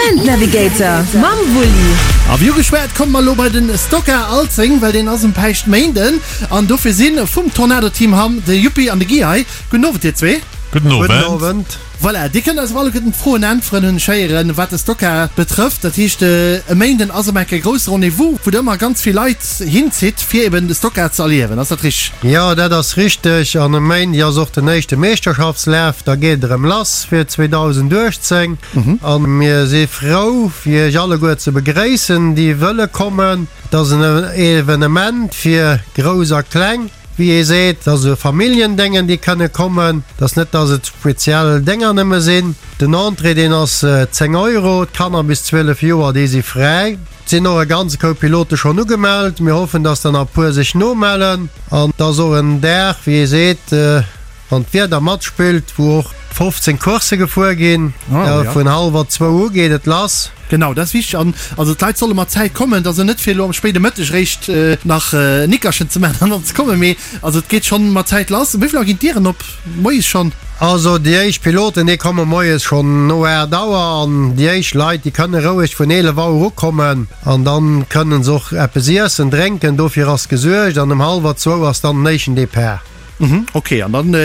Event Navigator mam Wulli. A wéi ugeschwat, komme mer elo bei den Stocker Alzeng, well deen ass um Päischtméinden. An dofir si vum Tornado Team Hamm de Juppi an de Guy hei. Gudden Owend dir zwee. Gudden Owend. Voilà, dir kënnt eis op alleguerten d'Froen äntweren, hunn ech héieren, wat de Stocker betrëfft. Dat heescht, e Méinden ass ëm enk e grousse Rendez-vous, wou der ëmmer ganz vill Leit hinzitt, fir eben de Stocker ze erliewen. Ass dat richteg? Jo, dat ass richteg. An e Méindeg ass och den éischte Meeschterschaftslaf. Da geet et erëm lass fir 2018. A mir si frou, fir iech alleguer ze begréissen, déi wëlle kommen. Et ass en Evenement fir Grouss a Kleng. Wéi ee seet, et ass e Familljendéngen, déi kënne kommen. Et ass net, datt et speziell Dénger nëmme sinn. Den Entrée, deen ass 10 Euro. D'Kanner bis 12 Joer, déi si fräi. Et sinn och e ganze Koup Pilote schonn ugemellt. Mir hoffen, datt der nach e puer sech nomellen. An et ass och en Dag, wéi ee seet, Wann d'Wieder matspillt, wou och 15 Coursse gefuer ginn. Vun hallwer zwou u geet et lass. Genau, dat ass wichteg. An also d'Leit solle mat Zäit kommen, et ass jo net fir elo am spéide Mëtteg eréischt nach en Nickerchen ze maachen an dann ze kommen, mee also et geet schonn mat Zäit lass. Um wéi vill Auer ginn d'Dieren op? Moies schonn? Also déi éischt Piloten, déi komme moies schonn no 8 Auer an déi éischt Leit, déi kënne roueg vun 11 Auer ukommen an dann kënnen se och eppes iessen, drénken, dofir ass gesuergt an um hallwer zwou ass dann den éischten Depart. Mhm, ok, an dann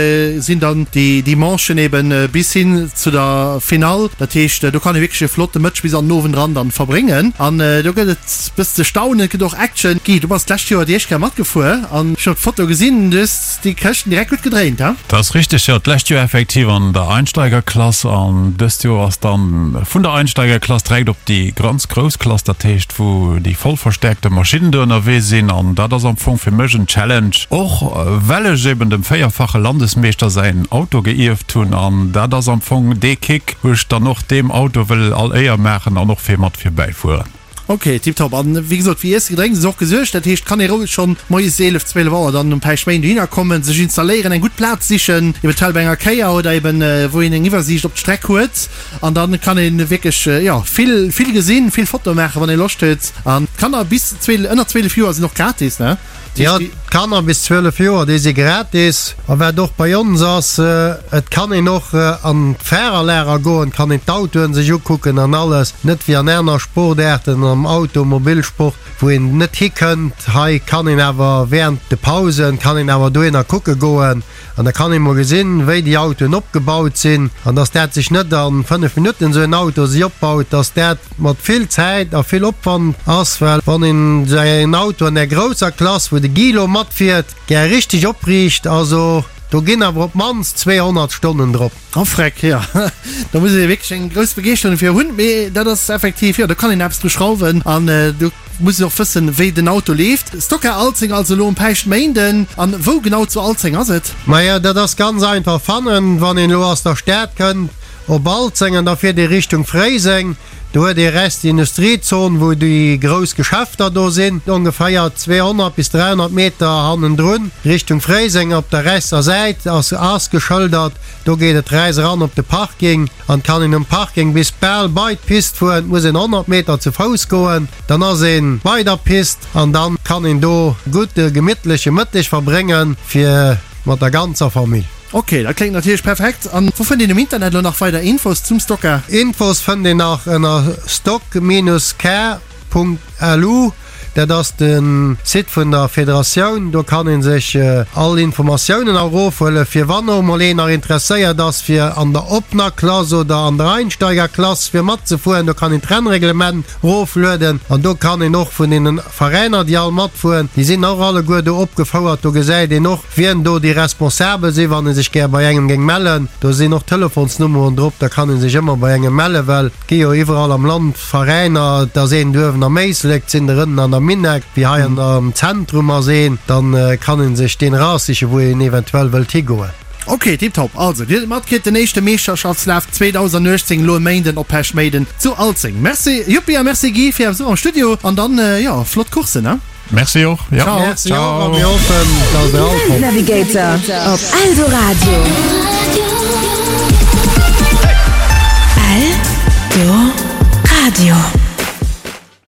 sinn dann déi déi Manchen eben bis hin zu der Finall. Dat heescht, do kann ee wierklech e flotte Mëtteg bis an den Owend eran dann verbréngen. An do gëtt et bëssen ze staunen, et gëtt och Action. Guy, du bass d'lescht Joer déi éischt Kéier matgefuer an ech hunn op d'Foto gesinn, du hues déi Këschten direkt gutt gedréint, he? Dat ass richteg, jo. D'lescht Joer effektiv an der Einsteigerklass an dëst Joer ass dann vun der Einsteigerklass direkt op déi ganz grouss Klass, dat heescht wou déi voll verstäerkte Maschinnen do ënnerwee sinn an dat ass am Fong fir mech en Challenge, och well ech eben dem véierfache Landesmeeschter säin Auto geierft hunn an dat ass am Fong dee Kick, wou ech dann och deem Auto wëll all Éier maachen an och fir mat virbäi fueren. Ok, tiptop. An wéi gesot, fir Iessen, Gedrénks ass och gesuergt. Dat heescht, kann ee roueg schonn moies 11, 12 Auer dann um Päischtméinden dohinner kommen, sech installéieren, eng gutt Plaz sichen, eventuell bei enger Kéier oder eben wou een eng Iwwersiicht op d'Streck huet. An dann kann een wierklech jo vill vill gesinn, vill Fotoe maachen wann ee Loscht huet. An d'Kanner bis 12, ënner 12 Joer sinn och gratis ne? Jo, d'Kanner bis 12 Joer déi si gratis. A wat och bei ons ass, et kann een och an d'Fahrerlager goen, kann een d'Autoen sech ukucken an alles. Net wéi an aner Sportaarten am Automobilsport, wou een net hikënnt. Hei kann een awer während de Pausen kann een awer dohinner kucke goen. An da kann ee mol gesinn, wéi déi Autoen opgebaut sinn an dass dat sech net a 5 Minutten esou en Auto si opbaut, dass dat mat vill Zäit a vill Opwand ass, well wann een esou en Auto an där grousser Klass, wou de Guy elo matfiert, gär richteg opriicht, also do ginn awer op d'mannst 200 Stonnen drop. Oh freck, jo, do muss ee wierklech eng grouss Begeeschterung dofir hunn, mee dat ass effektiv, jo, do kann een eppes dru schrauwen an do muss een och wëssen, wéi den Auto leeft. Stocker Alzeng also elo um Päischtméinden. An wou genau zu Alzeng ass et? Maja, dat ass ganz einfach fannen, wann een elo aus der Stad kënnt op Alzeng an da fiert ee Richtung Fréiseng, do huet ee rechts déi Industriezon, wou déi grouss Geschäfter do sinn, ongeféier 200 bis 300 Meter hannendrun Richtung Fréiseng op der rechtser Säit ass ass geschëldert, do geet et rechts eran op de Parking an kann een um Parking bis bal bei d'Pist fueren, et muss een 100 Meter zu Fouss goen. Dann ass een bei der Pist an dann kann een do gutt e gemittleche Mëtteg verbréngen fir mat der ganzer Famill. Ok, dat kléngt natierlech perfekt. An wou fënnt een um Internet elo nach weider Infos zum Stocker? Infos fënnt een nach ënner stock-car.lu. Dat ass de Site vun der Federatioun. Do kann ee sech all Informatiounen erofhuelen, fir wann och mol een nach interesséiert ass fir an der oppener Klass oder an der Einsteigerklass fir matzefueren. Do kann een d'Rennreglement roflueden an do kann een och vun deenen Veräiner, déi all matfueren, déi sinn och alleguer do opgefouert. Do gesäit een och, wien do déi Responsabel sinn, wann ee sech gär bei engem géing mellen. Do sinn och Telefonsnummeren drop, da kann ee sech ëmmer bei engem mellen, well et gi jo iwwerall am Land Veräiner, et ass een uewen am Éislek, et sinn der ënnen an der Minneck, wéi hei am Zentrum ass een, da kann ee sech deen eraussichen, wou een eventuell wëllt higoen. Ok, tiptop. Also, dir hutt et matkritt, den éischte Meeschterschaftslaf 2018 elo e Méinden op Peschméiden zu Alzeng. Merci Juppi a merci Guy fir är Besuch am Studio an dann, jo, flott Courssen, ne? Merci och, jo. Ciao. Merci och a mir hoffen, dass der all kommt. Navigator op Eldoradio.